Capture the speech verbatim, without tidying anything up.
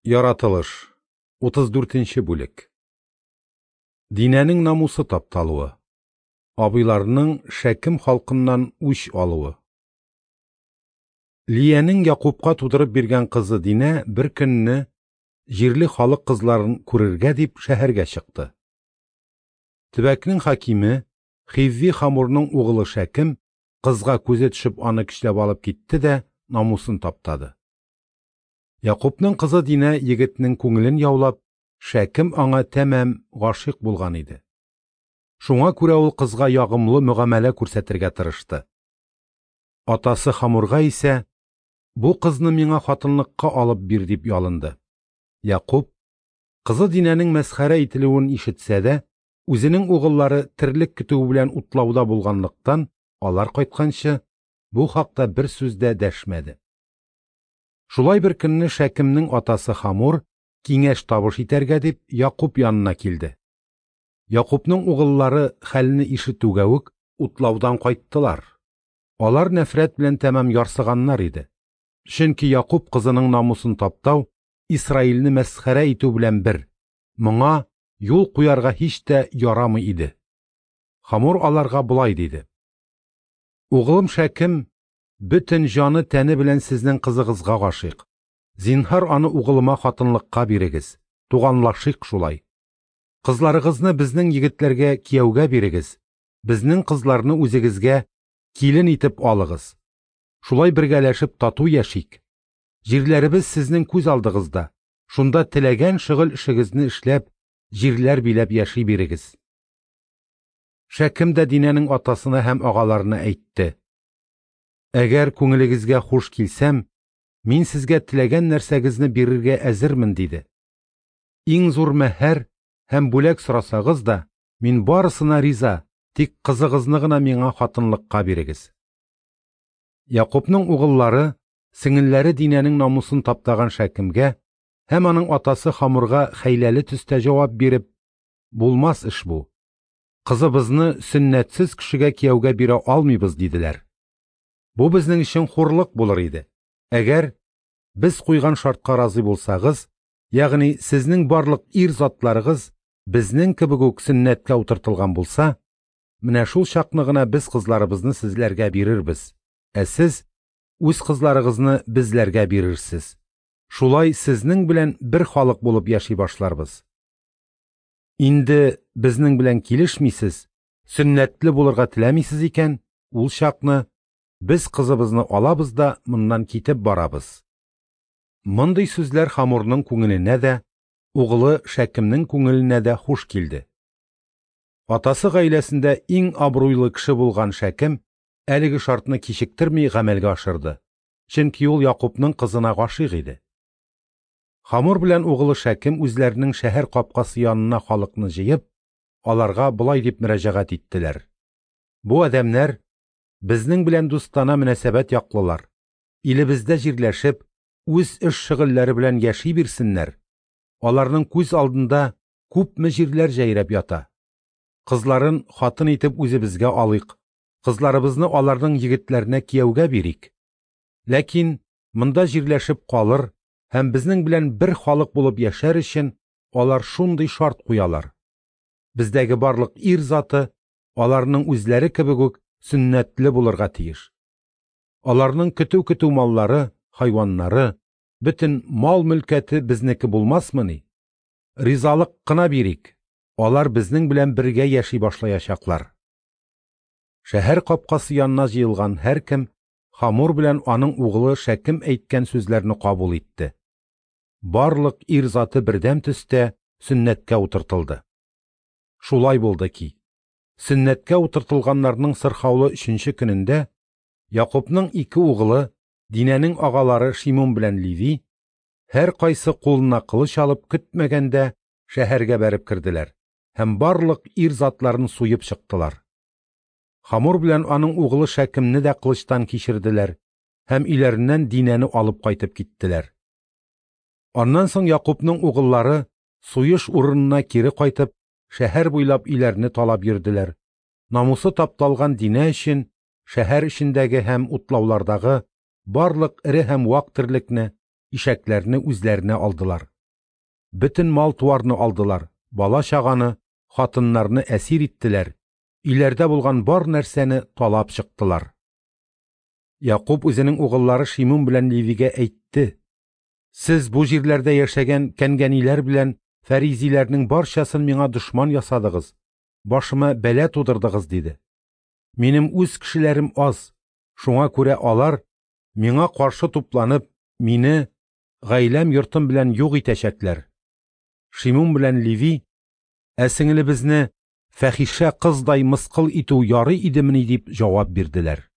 Яратылыш, утыз дүртенче бүлек. Динәнең намусы тапталуы. Абыйларының Шәкем халкыннан үч алуы. Лиянең Якубка тудырып биргән кызы Динә бер көнне җирле халык кызларын күрергә дип шәһәргә чыкты. Төбәкнең хакиме Хивви Хамурның угылы Шәкем кызга күзе төшеп аны көчләп алып китте дә намусын таптады. Якубның кызы Динә егетнең күңелен яулап, Шәкем аңа тәмам гашыйк булган иде. Шуңа күрә ул кызга ягымлы мөгамәлә күрсәтергә тырышты. Атасы Хамурга исә, бу кызны миңа хатынлыкка алып бир дип ялынды. Якуб, кызы Динәнең мәсхәрә ителүен ишетсә дә, үзенең угыллары терлек көтүе белән утлауда булганлыктан, алар кайтканчы бу хакта бер сүз дә дәшмәде. Шулай бер көнне Шәкемнең атасы Хамур киңәш табыш итәргә дип Якуб янына килде. Якубның угыллары хәлне ишетүгә үк утлаудан кайттылар. Алар нәфрәт белән тәмам ярсыганнар иде. Чөнки Якуб кызының намусын таптау Исраилне мәсхәрә итү белән бер. Моңа юл куярга һич тә ярамый иде. Хамур аларга болай диде: Угылым Шәкем бөтен җаны тәне белән сезнең кызыгызга гашыйк. Зинһар аны угылыма хатынлыкка бирегез. Туганлашыйк шулай. Кызларыгызны безнең егетләргә кияүгә бирегез. Безнең кызларны үзегезгә килен итеп алыгыз. Шулай бергәләшеп тату яшик. Җирләребез сезнең күз алдыгызда. Шунда теләгән шөгыль эшегезне эшләп, җирләр биләп яши бирегез. Шәкем дә Динәнең атасына һәм агаларына әйтте: Әгәр күңелегезгә хуш килсәм, мин сезгә теләгән нәрсәгезне бирергә әзермен, диде. Иң зур мәһәр һәм бүләк сорасагыз да, мин барысына риза, тик кызыгызны гына миңа хатынлыкка бирегез. Якубның угыллары, сеңелләре Динәнең намусын таптаган Шәкемгә һәм аның атасы Хамурга хәйләле төстә җавап биреп: Булмас эш бу. Кызыбызны сөннәтсез кешегә кияүгә бирә алмыйбыз, диделәр. Бу безнең өчен хурлык булыр иде. Әгәр без куйган шартка разый булсагыз, ягъни сезнең барлык ир затларыгыз безнең кебек үк сөннәткә утыртылган булса, менә шул чакны гына без кызларыбызны сезләргә бирербез, ә сез үз кызларыгызны безләргә бирерсез. Шулай сезнең белән бер халык булып яши башларбыз. Инде безнең белән килешмисез, сөннәтле булырга теләмисез икән, ул чакны без кызыбызны алабыз да моннан китеп барабыз. Мондый сүзләр Хамурның күңеленә дә, угылы Шәкемнең күңеленә дә хуш килде. Атасы гаиләсендә иң абруйлы кеше булган Шәкем әлеге шартны кичектерми гамәлгә ашырды. Чөнки ул Якубның кызына гашыйк иде. Хамур белән угылы Шәкем үзләренең шәһәр капкасы янына халыкны җыеп, аларга болай дип мөрәҗәгать иттеләр: Бу адәмнәр безнең белән дустана мөнәсәбәт яклылар. Илебездә җирләшеп, үз эш шөгыльләре белән яши бирсеннәр. Аларның күз алдында күпме җирләр җәйрәп ята. Кызларын хатын итеп үзебезгә алыйк. Кызларыбызны аларның егетләренә кияүгә бирик. Ләкин монда җирләшеп калыр һәм безнең белән бер халык булып яшәр өчен алар шундый шарт куялар. Бездәге барлык ир заты аларның үзләре кебек үк сөннәтле булырга тиеш. Аларның көтү-көтү маллары, хайваннары, бөтен мал мөлкәте безнеке булмасмыни? Ризалык кына бирик. Алар безнең белән бергә яши башлаячаклар. Шәһәр капкасы янына җыелган һәркем Хамур белән аның угылы Шәкем әйткән сүзләрне кабул итте. Барлык ир заты бердәм төстә сөннәткә утыртылды. Шулай булды ки, сөннәткә утыртылганнарның сырхаулы өченче көнендә Якубның ике угылы, Динәнең агалары Шимун белән Леви, һәр кайсы кулына кылыч алып көтмәгәндә шәһәргә бәреп керделәр һәм барлык ир затларын суеп чыктылар. Хамур белән аның угылы Шәкемне дә кылычтан кичерделәр һәм өйләреннән Динәне алып кайтып киттеләр. Аннан соң Якубның угыллары суеш урынына кире кайтып, шәһәр буйлап өйләрне талап йөрделәр. Намусы тапталган Динә өчен шәһәр эчендәге һәм утлаулардагы барлык эре һәм вак терлекне, ишәкләрне үзләренә алдылар. Бөтен мал-туарны алдылар, бала-чаганы, хатыннарны әсир иттеләр, өйләрдә булган бар нәрсәне талап чыктылар. Якуб үзенең угыллары Шимун белән Левигә әйтте: «Сез бу җирләрдә яшәгән кәнгәниләр белән фәризиләрнең барчасын миңа дошман ясадыгыз, башыма бәла тудырдыгыз», – диде. «Минем үз кешеләрем аз, шуңа күрә алар, миңа каршы тупланып, мине гаиләм йортым белән юк итәчәкләр». Шимун белән Леви: «Ә сеңелебезне фәхишә кыздай мыскыл итү ярый идемени?» – дип җавап бирделәр.